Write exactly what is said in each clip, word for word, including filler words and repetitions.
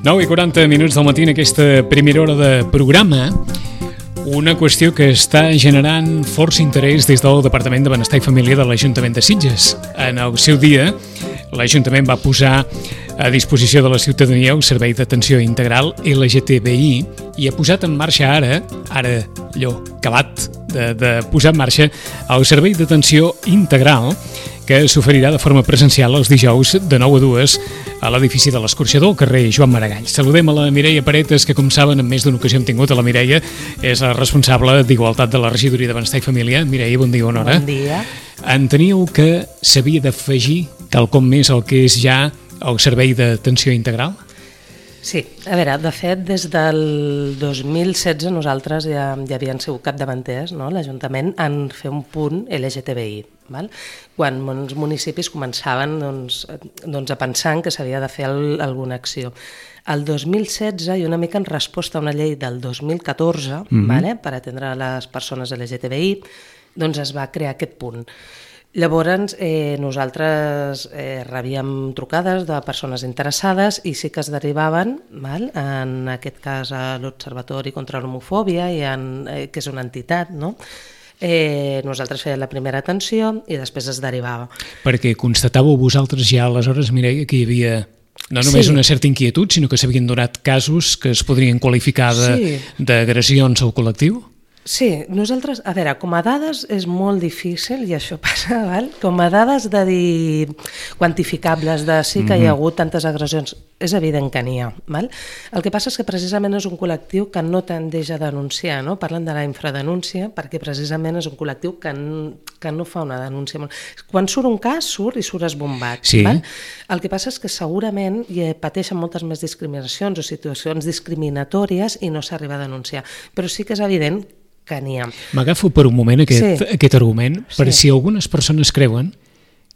nou i quaranta minuts del matí en aquesta primera hora de programa. Una qüestió que està generant força interès des del Departament de Benestar i Família de l'Ajuntament de Sitges. En el seu dia, l'Ajuntament va posar a disposició de la ciutadania un servei d'atenció integral L G T B I i ha posat en marxa ara, ara allò acabat de, de posar en marxa el servei d'atenció integral que s'oferirà de forma presencial els dijous de nou a dues a l'edifici de l'Escorxador, al carrer Joan Maragall. Saludem a la Mireia Paretes, que com saben en més d'una ocasió hem tingut a la Mireia, és la responsable d'Igualtat de la Regidoria de Benestar i Família. Mireia, bon dia, bona hora. Bon dia. Enteníeu que s'havia d'afegir quelcom més al que és ja el servei d'atenció integral? Sí, a veure, de fet, des del dos mil setze nosaltres ja, ja havien sigut capdavanters, no? L'Ajuntament, en fer un punt L G T B I. Val? Quan molts municipis començaven doncs, doncs, a pensar que s'havia de fer el, alguna acció. El dos mil setze, i una mica en resposta a una llei del dos mil catorze, mm-hmm. vale? Per atendre les persones L G T B I, doncs es va crear aquest punt. Llavors, eh, nosaltres eh, rebíem trucades de persones interessades i sí que es derivaven, val? En aquest cas a l'Observatori contra l'Homofòbia, i en, eh, que és una entitat, no? Eh, nosaltres fèiem la primera atenció i després es derivava. Perquè constatàveu vosaltres ja aleshores, Mireia, que hi havia no només sí. una certa inquietud, sinó que s'havien donat casos que es podrien qualificar d'agressions sí. al col·lectiu? Sí, nosaltres, a veure, com a dades és molt difícil, i això passa, val? Com a dades de dir quantificables, de sí que hi ha hagut tantes agressions, és evident que n'hi ha. Val? El que passa és que precisament és un col·lectiu que no tendeix a denunciar, no? Parlen de la infradenúncia perquè precisament és un col·lectiu que, que no fa una denúncia. Quan surt un cas, surt i surt esbombat. Sí. Val? El que passa és que segurament hi pateixen moltes més discriminacions o situacions discriminatòries i no s'arriba a denunciar. Però sí que és evident que n'hi ha. M'agafo per un moment aquest, sí. aquest argument, per sí. si algunes persones creuen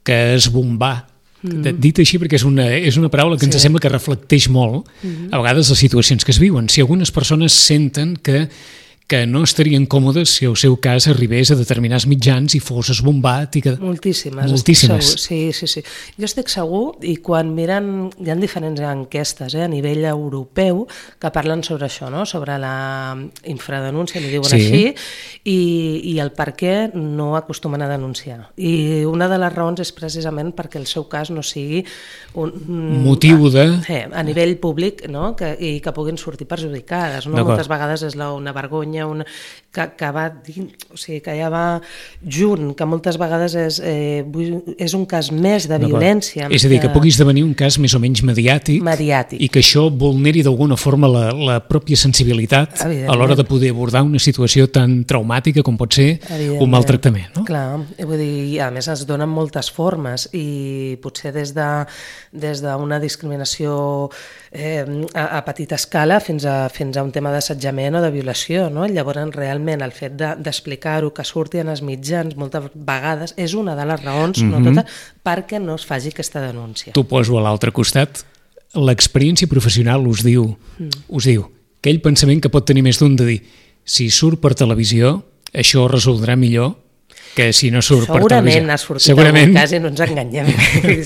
que esbombar, mm-hmm. dit així perquè és una, és una paraula que ens sí. sembla que reflecteix molt mm-hmm. a vegades les situacions que es viuen. Si algunes persones senten que que no estarien còmodes si el seu cas arribés a determinats mitjans i fos esbombat i que... Moltíssimes. Moltíssimes. Sí, sí, sí. Jo estic segur, i quan miren, hi ha diferents enquestes eh, a nivell europeu que parlen sobre això, no? Sobre la infradenúncia, li diuen sí. així, i, i el per què no acostumen a denunciar. I una de les raons és precisament perquè el seu cas no sigui un... motiu de... Eh, a nivell públic, no? Que, i que puguin sortir perjudicades. No? Moltes vegades és la, una vergonya una, que, que va o sigui, que ja va junt, que moltes vegades és, eh, és un cas més de violència. És a dir, que, que pugui esdevenir un cas més o menys mediàtic, mediàtic. I que això vulneri d'alguna forma la, la pròpia sensibilitat a l'hora de poder abordar una situació tan traumàtica com pot ser un maltractament. No? Clar, vull dir, a més es donen moltes formes i potser des de des d'una discriminació eh, a, a petita escala fins a, fins a un tema d'assetjament o de violació, no? Llavors, realment, el fet de, d'explicar-ho, que surti en els mitjans moltes vegades, és una de les raons, mm-hmm. no totes, perquè no es faci aquesta denúncia. T'ho poso a l'altre costat. L'experiència professional us diu, mm. us diu aquell pensament que pot tenir més d'un de dir si surt per televisió, això es resoldrà millor que si no surt segurament per televisió. Ha sortit segurament algun cas i no ens enganyem.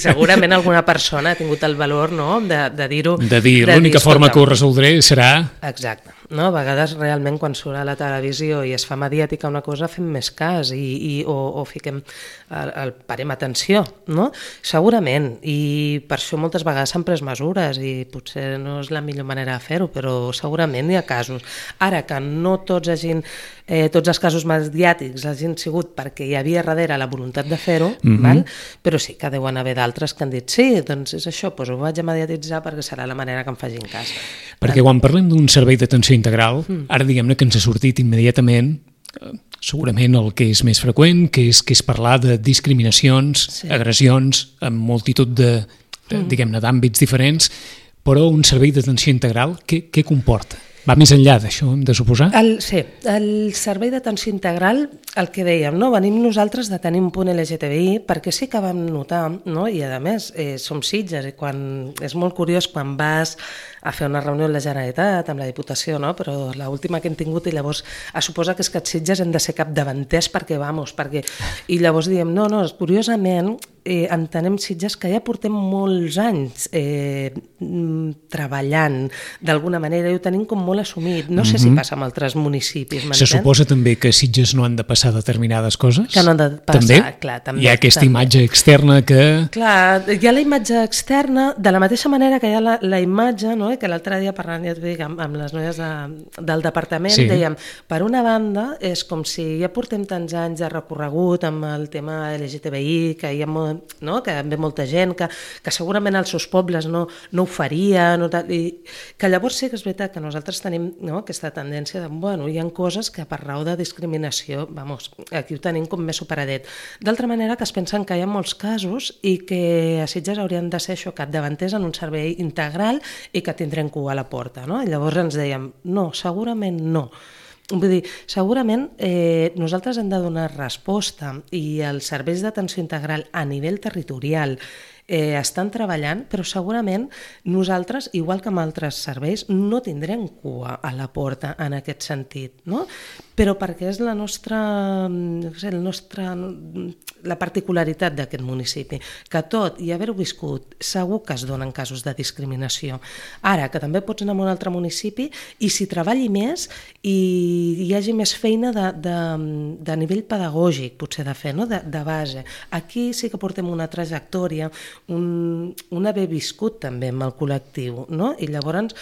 Segurament alguna persona ha tingut el valor, no?, de, de dir-ho. De dir, de l'única dir, forma que ho resoldré serà... Exacte. No? A vegades realment quan surt a la televisió i es fa mediàtica una cosa fem més cas i, i, o, o fiquem el, el, parem atenció, no? Segurament, i per això moltes vegades s'han pres mesures i potser no és la millor manera de fer-ho, però segurament hi ha casos. Ara que no tots hagin, eh, tots els casos mediàtics hagin sigut perquè hi havia darrere la voluntat de fer-ho, mm-hmm. val? Però sí que deuen haver d'altres que han dit sí, doncs és això, doncs ho vaig a mediatitzar perquè serà la manera que em facin cas. Perquè quan parlem d'un servei d'atenció integral, ara diguem-ne que ens ha sortit immediatament segurament el que és més freqüent, que és, que és parlar de discriminacions, sí. agressions, en multitud de, de diguem-ne, d'àmbits diferents, però un servei d'atenció integral, què, què comporta? Va més enllà d'això, hem de suposar? El, sí, el servei d'atenció integral, el que dèiem, no? Venim nosaltres de tenir un punt L G T B I perquè sí que vam notar, no? I a més eh, som Sitges, i quan, és molt curiós quan vas a fer una reunió amb la Generalitat, amb la Diputació, no? Però l'última que hem tingut, i llavors es suposa que és que els Sitges hem de ser capdavanters perquè, vamos, perquè... I llavors diem, no, no, curiosament, eh, entenem Sitges que ja portem molts anys eh, treballant d'alguna manera i ho tenim com molt assumit. No sé mm-hmm. si passa amb altres municipis, m'entens? Se suposa també que Sitges no han de passar determinades coses? Que no han de passar, també? clar. També, hi ha aquesta també. imatge externa que... Clar, hi ha la imatge externa, de la mateixa manera que hi ha la, la imatge, no? que l'altre dia parlant, ja t'ho dic, amb, amb les noies de, del departament, sí. dèiem, per una banda, és com si ja portem tants anys de recorregut amb el tema L G T B I, que hi ha molt, no? que ve molta gent, que, que segurament als seus pobles no, no ho faria, no tal, i que llavors sí que és veritat que nosaltres tenim no? aquesta tendència de, bueno, hi ha coses que per raó de discriminació, vamos, aquí ho tenim com més superadet. D'altra manera que es pensen que hi ha molts casos i que a Sitges haurien de ser això, capdavanters en un servei integral i que tindrem cua a la porta, no? I llavors ens dèiem, no, segurament no. Vull dir, segurament eh, nosaltres hem de donar resposta i els serveis d'atenció integral a nivell territorial eh, estan treballant, però segurament nosaltres, igual que amb altres serveis, no tindrem cua a la porta en aquest sentit, no? Però perquè és la nostra, no sé, el nostre, la particularitat d'aquest municipi, que tot i haver-ho viscut, segur que es donen casos de discriminació. Ara, que també pots anar a un altre municipi i s'hi treballi més i hi hagi més feina de, de, de nivell pedagògic, potser de fer, no? de, de base. Aquí sí que portem una trajectòria, un, un haver viscut també amb el col·lectiu, no? I llavors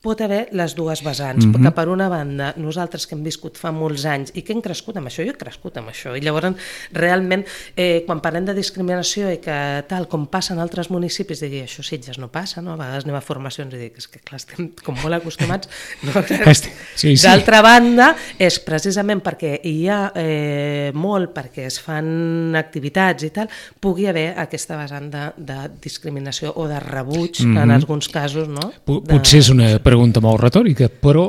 pot haver les dues vessants, mm-hmm. perquè per una banda nosaltres que hem viscut fa molts anys i que hem crescut amb això, jo he crescut amb això, i llavors realment eh, quan parlem de discriminació i que tal com passa en altres municipis, digui, això Sitges no passa, no? A vegades anem a formacions i dic, és que clar, estem com molt acostumats. No? Sí, sí. D'altra banda, és precisament perquè hi ha eh, molt, perquè es fan activitats i tal, pugui haver aquesta vessant de, de discriminació o de rebuig mm-hmm. en alguns casos, no? P- Potser és una pregunta molt retòrica, però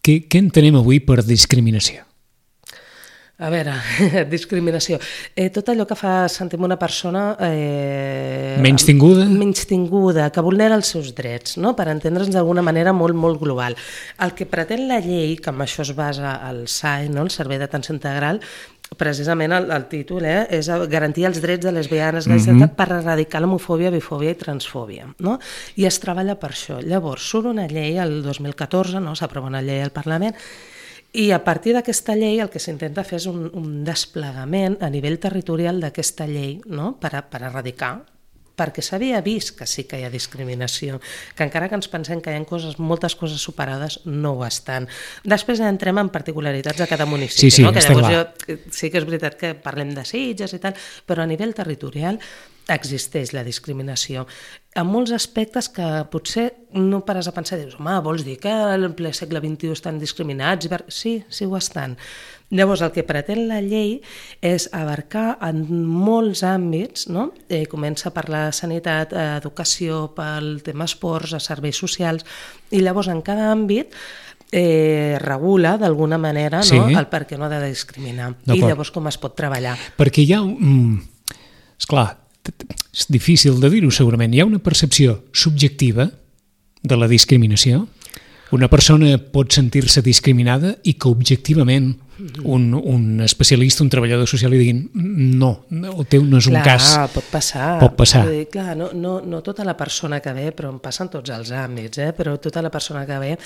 què, què entenem avui per discriminació? A veure, discriminació. Eh, tot allò que fa sentir una persona... Eh, menys tinguda? Menys tinguda, que vulnera els seus drets, no? Per entendre'ns d'alguna manera molt, molt global. El que pretén la llei, que amb això es basa el S A I, no? El Servei d'Atenció Integral, precisament el, el títol eh, és garantir els drets de lesbianes, gais, mm-hmm. per erradicar l'homofòbia, bifòbia i transfòbia, no? I es treballa per això. Llavors surt una llei el dos mil catorze, no? S'aprova una llei al Parlament i a partir d'aquesta llei el que s'intenta fer és un, un desplegament a nivell territorial d'aquesta llei, no? per, a, per erradicar, perquè s'havia vist que sí que hi ha discriminació, que encara que ens pensem que hi ha coses, moltes coses superades, no ho estan. Després ja entrem en particularitats de cada municipi, sí, sí, no? Que llavors clar. jo, sí que és veritat que parlem de Sitges i tal, però a nivell territorial existeix la discriminació. En molts aspectes que potser no pares a pensar, dius, home, vols dir que en ple segle vint-i-u estan discriminats? Sí, sí ho estan. Llavors, el que pretén la llei és abarcar en molts àmbits, no? Eh, comença per la sanitat, educació, pel tema esports, serveis socials, i llavors en cada àmbit eh, regula d'alguna manera sí. no? el per què no ha de discriminar. I llavors com es pot treballar. Perquè hi ha... Mm, esclar, és difícil de dir-ho segurament, hi ha una percepció subjectiva de la discriminació. Una persona pot sentir-se discriminada i que objectivament un, un especialista, un treballador social li diguin no, el teu no és un clar, cas. Pot passar. Pot passar. Vull dir, clar, no, no, no tota la persona que ve, però em passen tots els àmbits, eh? Però tota la persona que ve,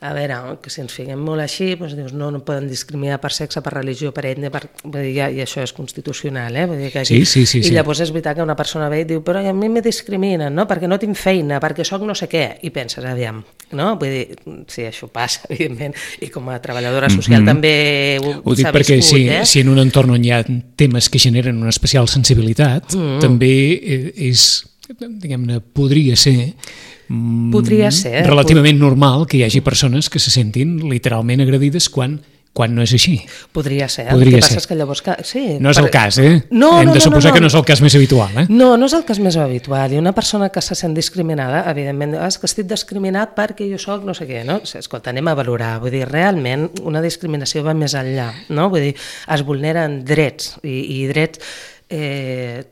a veure, que si ens fiquem molt així, doncs dius, no, no poden discriminar per sexe, per religió, per ètnia, per... Vull dir, ja, i això és constitucional, eh? Vull dir que aquí... sí, sí, sí, I sí. llavors és veritat que una persona ve i diu, però a mi me discriminen, no? Perquè no tinc feina, perquè sóc no sé què, i penses, aviam, no? Vull dir, sí, això passa, evidentment, i com a treballadora social mm-hmm. també ho, ho dic perquè viscut, si, eh? si en un entorn on hi ha temes que generen una especial sensibilitat, mm-hmm. també és, diguem-ne, podria ser Podria ser. relativament normal que hi hagi persones que se sentin literalment agredides quan, quan no és així. Podria ser. Podria el que ser. passa és que llavors... Que, sí, no és per... el cas, eh? No, Hem no, de suposar no, no, no. que no és el cas més habitual, eh? No, no és el cas més habitual. I una persona que se sent discriminada, evidentment, és que estic discriminat perquè jo soc no sé què, no? Escolta, anem a valorar. Vull dir, realment, una discriminació va més enllà, no? Vull dir, es vulneren drets i, i drets... Eh,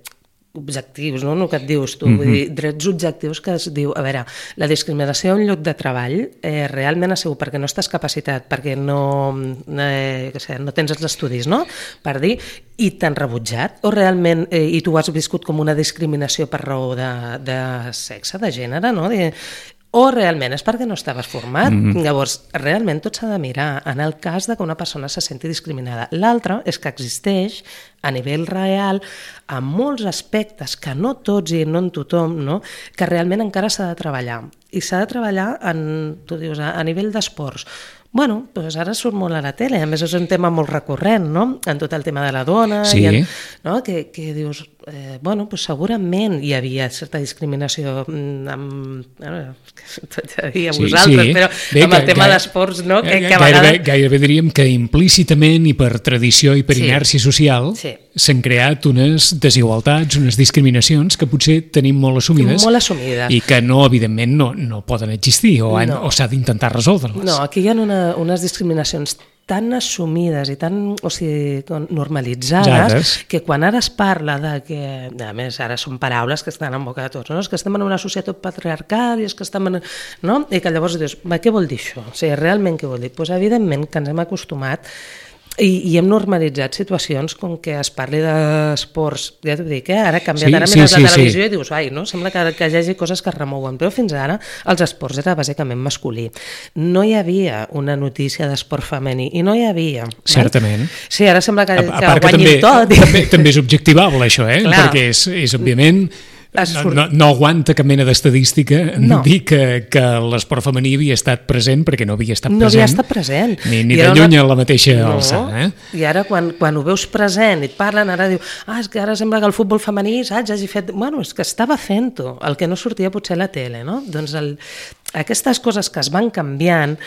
objectius, no? El que et dius tu, mm-hmm. vull dir, drets objectius que es diu, a veure, la discriminació a un lloc de treball eh, realment ha sigut perquè no estàs capacitat, perquè no, eh, que sé, no tens els estudis, no?, per dir, i t'han rebutjat, o realment, eh, i tu has viscut com una discriminació per raó de, de sexe, de gènere, no?, de, o realment és perquè no estaves format. Mm-hmm. Llavors, realment tot s'ha de mirar en el cas de que una persona se senti discriminada. L'altre és que existeix a nivell real en molts aspectes que no tots i no en tothom, no? Que realment encara s'ha de treballar. I s'ha de treballar en, tu dius, a, a nivell d'esports. Bueno, doncs ara surt molt a la tele, a més és un tema molt recurrent, no?, en tot el tema de la dona, sí. I en, no? que, que dius, eh, bueno, doncs segurament hi havia certa discriminació amb, bueno, tot a dir a sí, vosaltres, sí. però Bé, amb el que, tema que, d'esports, no?, que, que a vegades... Gairebé, gairebé diríem que implícitament i per tradició i per sí. inèrcia social sí. s'han creat unes desigualtats, unes discriminacions que potser tenim molt assumides, molt assumides. I que no, evidentment, no, no poden existir o, han, no. o s'ha d'intentar resoldre-les. No, aquí hi ha una, unes discriminacions tan assumides i tan, o sigui, normalitzades, Jades. Que quan ara es parla de que, a més, ara són paraules que estan en boca de tots, no? És que estem en una societat patriarcal i és que estem en... no? I que llavors dius, va, què vol dir això? O sigui, realment què vol dir? Doncs pues, evidentment que ens hem acostumat I, i hem normalitzat situacions com que es parli d'esports, ja t'ho dic, eh? Ara ha canviat, sí, ara mires sí, la televisió sí. I dius, ai, no? Sembla que, que hi hagi coses que es remouen, però fins ara els esports era bàsicament masculí. No hi havia una notícia d'esport femení, i no hi havia. Certament. Val? Sí, ara sembla que, a, a que que guanyin també, tot. També, també és objectivable això, eh? Clar. Perquè és, és òbviament... No, no, no aguanta cap mena d'estadística no. dir que, que l'esport femení havia estat present perquè no havia estat no present. No havia estat present. Ni, ni de lluny una... a la mateixa no. alçada. Eh? I ara quan, quan ho veus present i et parlen, ara diu, ah, és que ara sembla que el futbol femení, saps, hagi fet... Bueno, és que estava fent-ho, el que no sortia potser a la tele, no? Doncs el... aquestes coses que es van canviant,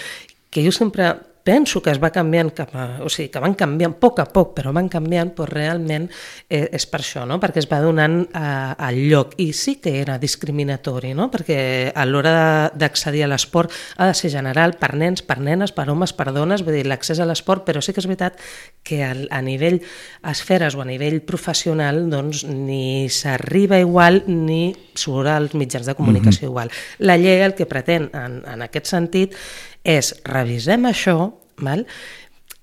que jo sempre... penso que es va canviant cap a, o sigui, que van canviant a poc a poc, però van canviant, però realment eh, és per això, no? Perquè es va donant eh, el lloc, i sí que era discriminatori, no? Perquè a l'hora d'accedir a l'esport ha de ser general per nens, per nenes, per homes, per dones, vull dir, l'accés a l'esport, però sí que és veritat que a, a nivell esferes o a nivell professional doncs ni s'arriba igual ni surt als mitjans de comunicació mm-hmm. igual. La llei el que pretén en, en aquest sentit és revisem això, val?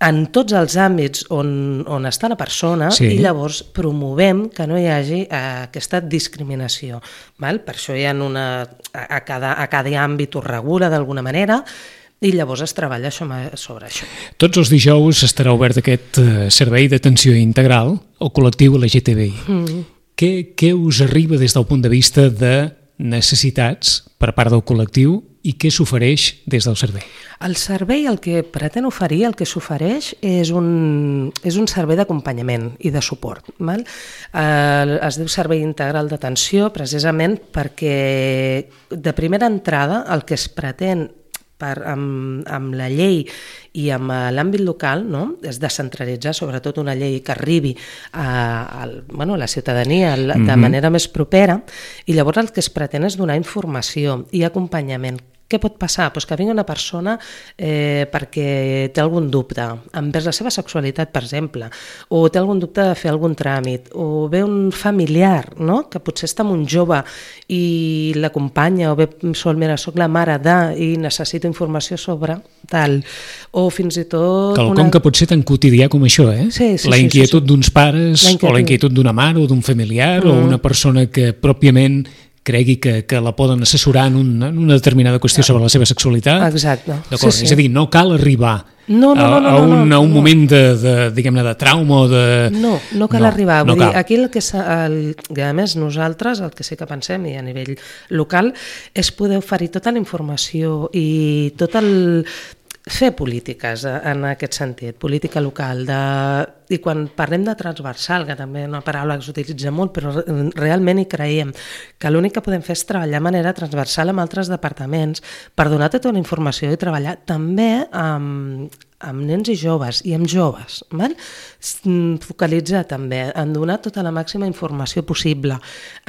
En tots els àmbits on, on està la persona sí. I llavors promovem que no hi hagi eh, aquesta discriminació. Val? Per això hi ha una, a, cada, a cada àmbit ho regula d'alguna manera i llavors es treballa sobre això. Tots els dijous estarà obert aquest servei d'atenció integral al col·lectiu L G T B I. Mm. Què, què us arriba des del punt de vista de necessitats per part del col·lectiu i què s'ofereix des del servei? El servei el que pretén oferir, el que s'ofereix és un, és un servei d'acompanyament i de suport. Val? Eh, es diu servei integral d'atenció precisament perquè de primera entrada el que es pretén per, amb, amb la llei i amb l'àmbit local, no? És descentralitzar sobretot una llei que arribi a, a, bueno, a la ciutadania de mm-hmm. manera més propera, i llavors el que es pretén és donar informació i acompanyament. Què pot passar? Pues que vingui una persona eh, perquè té algun dubte envers la seva sexualitat, per exemple, o té algun dubte de fer algun tràmit, o ve un familiar, no? Que potser està amb un jove i l'acompanya, o ve, sol, mira, soc la mare de, i necessito informació sobre tal, o fins i tot... Quelcom una... que pot ser tan quotidià com això, eh? Sí, sí, la inquietud sí, sí. d'uns pares, la o la inquietud d'una mare o d'un familiar, mm. o una persona que pròpiament cregui que, que la poden assessorar en una, en una determinada qüestió sobre la seva sexualitat. Exacte. D'acord, sí, sí. És a dir, no cal arribar no, no, no, no, a, a, un, no, no, a un no. moment de, de, diguem-ne, de trauma o de... No, no cal no, arribar. Vull no dir, cal. aquí el que el, a més nosaltres, el que sí que pensem, i a nivell local, és poder oferir tota la informació i tot el... fer polítiques en aquest sentit, política local, de... i quan parlem de transversal, que també és una paraula que s'utilitza molt, però realment hi creiem, que l'únic que podem fer és treballar de manera transversal amb altres departaments per donar tota una informació i treballar també amb, amb nens i joves, i amb joves, val? Focalitzar també en donar tota la màxima informació possible,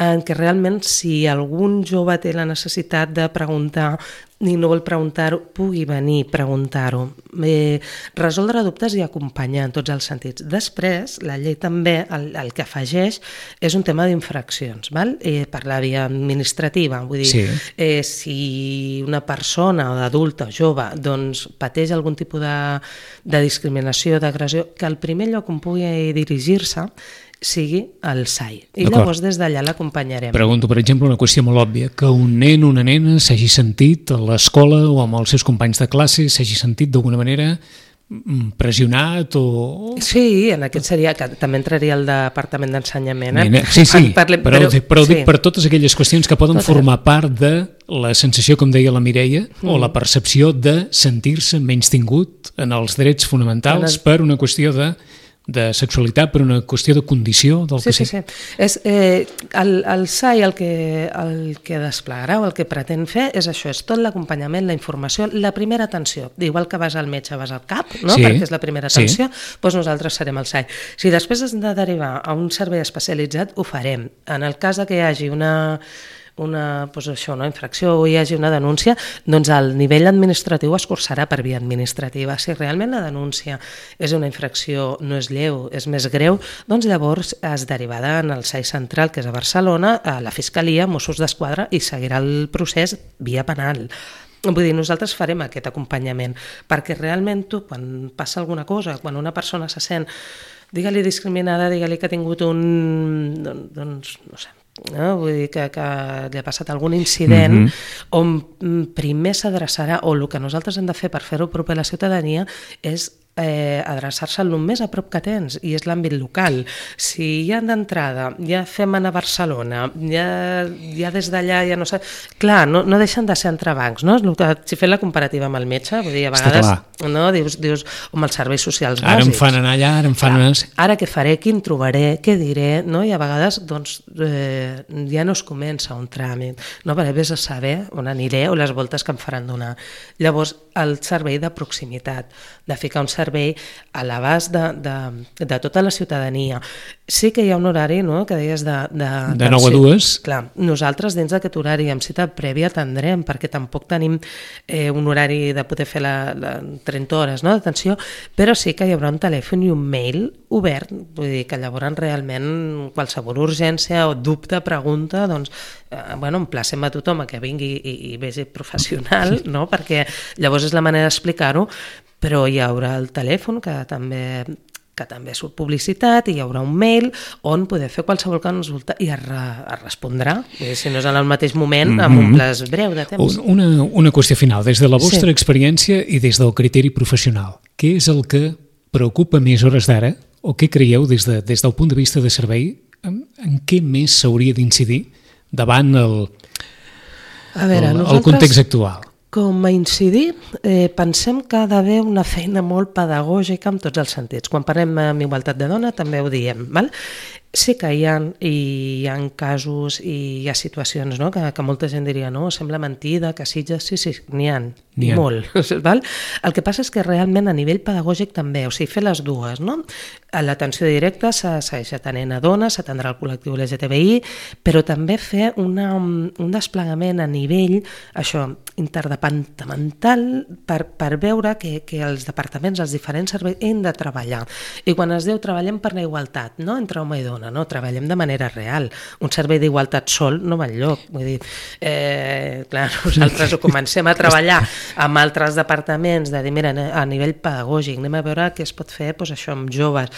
en què realment si algun jove té la necessitat de preguntar ni no vol preguntar-ho, pugui venir a preguntar-ho. Eh, resoldre dubtes i acompanyar en tots els sentits. Després, la llei també el, el que afegeix és un tema d'infraccions, val? Eh, per la via administrativa. Vull dir, sí. eh, si una persona o adulta o jove doncs, pateix algun tipus de, de discriminació, d'agressió, que al primer lloc on pugui dirigir-se sigui el S A I. I llavors des d'allà l'acompanyarem. Pregunto, per exemple, una qüestió molt òbvia, que un nen o una nena s'hagi sentit a l'escola o amb els seus companys de classe, s'hagi sentit d'alguna manera pressionat o... Sí, en aquest seria, que també entraria el Departament d'Ensenyament. Eh? Sí, sí, Parlem, però, però, però sí. dic per totes aquelles qüestions que poden totes. formar part de la sensació, com deia la Mireia, mm. o la percepció de sentir-se menystingut en els drets fonamentals el... per una qüestió de de sexualitat, per una qüestió de condició del sí, que sí, sí. És, eh, el, el S A I el que, el que desplegarà o el que pretén fer és això, és tot l'acompanyament, la informació, la primera atenció. Igual que vas al metge, vas al cap, no? Sí, perquè és la primera atenció, sí. doncs nosaltres serem el S A I. Si després has de derivar a un servei especialitzat, ho farem. En el cas que hi hagi una... una doncs això, una infracció o hi hagi una denúncia, doncs el nivell administratiu es cursarà per via administrativa. Si realment la denúncia és una infracció, no és lleu, és més greu, doncs llavors es derivarà en el S A I central, que és a Barcelona, a la Fiscalia, Mossos d'Esquadra, i seguirà el procés via penal. Vull dir, nosaltres farem aquest acompanyament, perquè realment tu, quan passa alguna cosa, quan una persona se sent, digue-li discriminada, digue-li que ha tingut un... doncs, no sé, no? Vull dir que, que li ha passat algun incident mm-hmm. on primer s'adreçarà, o el que nosaltres hem de fer per fer-ho proper a la ciutadania és eh, adreçar-se al més a prop que tens, i és l'àmbit local. Si ja d'entrada ja fem anar a Barcelona, ja, ja des d'allà ja no sé... Clar, no, no deixen de ser entrebancs, no? El que, si fem la comparativa amb el metge, vull dir, a vegades no, dius, dius home, els serveis socials bàsics. Ara em fan anar allà, ara em fan anar... Ara què faré, quin trobaré, què diré, no? I a vegades doncs, eh, ja no es comença un tràmit, no? Perquè vés a saber on aniré o les voltes que em faran donar. Llavors, el servei de proximitat, de ficar un servei a l'abast de, de, de tota la ciutadania. Sí que hi ha un horari, no?, que deies de... De, de nou a dues. Clar, nosaltres dins d'aquest horari amb cita prèvia atendrem, perquè tampoc tenim eh, un horari de poder fer la, la trenta hores, no?, d'atenció, però sí que hi haurà un telèfon i un mail obert, vull dir que llavors realment qualsevol urgència o dubte, pregunta, doncs, eh, bueno, emplacem a tothom a que vingui i, i vegi professional, no?, perquè llavors és la manera d'explicar-ho, però hi haurà el telèfon que també... que també surt publicitat, i hi haurà un mail on poder fer qualsevol consulta i es, re, es respondrà, si no és en el mateix moment, amb un plaç breu de temps. Una, una qüestió final, des de la vostra sí. experiència i des del criteri professional, què és el que preocupa més hores d'ara, o què creieu des, de, des del punt de vista de servei, en, en què més s'hauria d'incidir davant el, a veure, el, nosaltres... el context actual? Com a incidir, eh, pensem que ha d'haver una feina molt pedagògica en tots els sentits. Quan parlem amb igualtat de dona també ho diem, val? Sí que hi ha, hi ha casos i hi ha situacions, no?, que, que molta gent diria, no, sembla mentida, que Sitges, sí, sí, n'hi ha, n'hi ha. molt. Val? El que passa és que realment a nivell pedagògic també, o sigui, fer les dues, no? A l'atenció directa s'ha segueix atenent a dones, s'atendrà el col·lectiu L G T B I, però també fer una, un desplegament a nivell, això, interdepartamental, per, per veure que, que els departaments, els diferents serveis, hem de treballar. I quan es diu treballem per la igualtat, no?, entre home i dona, no, treballem de manera real. Un servei d'igualtat sol no va enlloc. Vull dir, eh, clar, nosaltres ho comencem a treballar amb altres departaments, de dir, mira, a nivell pedagògic, anem a veure què es pot fer, doncs això, amb joves.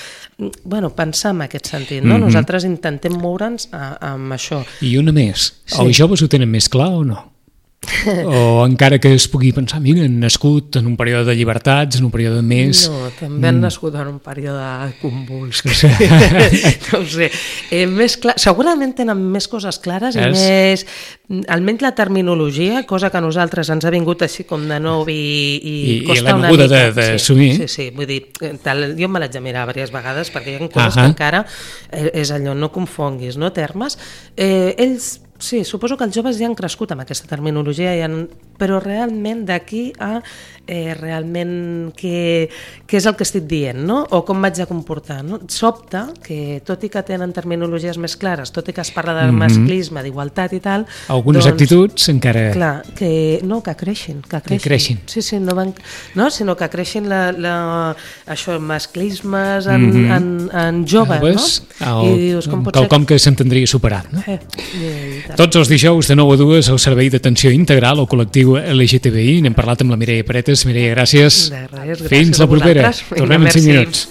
Bueno, pensar en aquest sentit, no? Mm-hmm. Nosaltres intentem moure'ns a, amb això. I una més, sí. Els joves ho tenen més clar o no? O encara que es pugui pensar, mira, han nascut en un període de llibertats, en un període més... No, també han nascut en un període convuls. No ho sé. Eh, més clar... Segurament tenen més coses clares i és... més... Almenys la terminologia, cosa que a nosaltres ens ha vingut així com de nou i, i, I costa i una mica. d'assumir. Sí, sí, sí, vull dir, tal, jo me l'haig de mirar diverses vegades perquè hi ha coses uh-huh. que encara és allò, no confonguis, no, termes. Eh, ells sí, suposo que els joves ja han crescut amb aquesta terminologia, ja han... però realment d'aquí a eh, realment què, què és el que estic dient, no? O com m'haig de comportar, no? Sobta que, tot i que tenen terminologies més clares, tot i que es parla de mm-hmm. masclisme, d'igualtat i tal... Algunes doncs, actituds encara... Clar, que no, que creixin, que creixin. Que creixin. Sí, sí, no van... No, sinó que creixin la, la, això, masclismes en, mm-hmm. en, en joves, joves, no? El, I dius, com pot ser... Quelcom que s'entendria superat, no? Eh, Tots els dijous de nou a dues al Servei d'Atenció Integral o Col·lectiu L G T B I. N'hem parlat amb la Mireia Paretes. Mireia, gràcies. De res, gràcies. Fins la propera. Tornem en cinc minuts.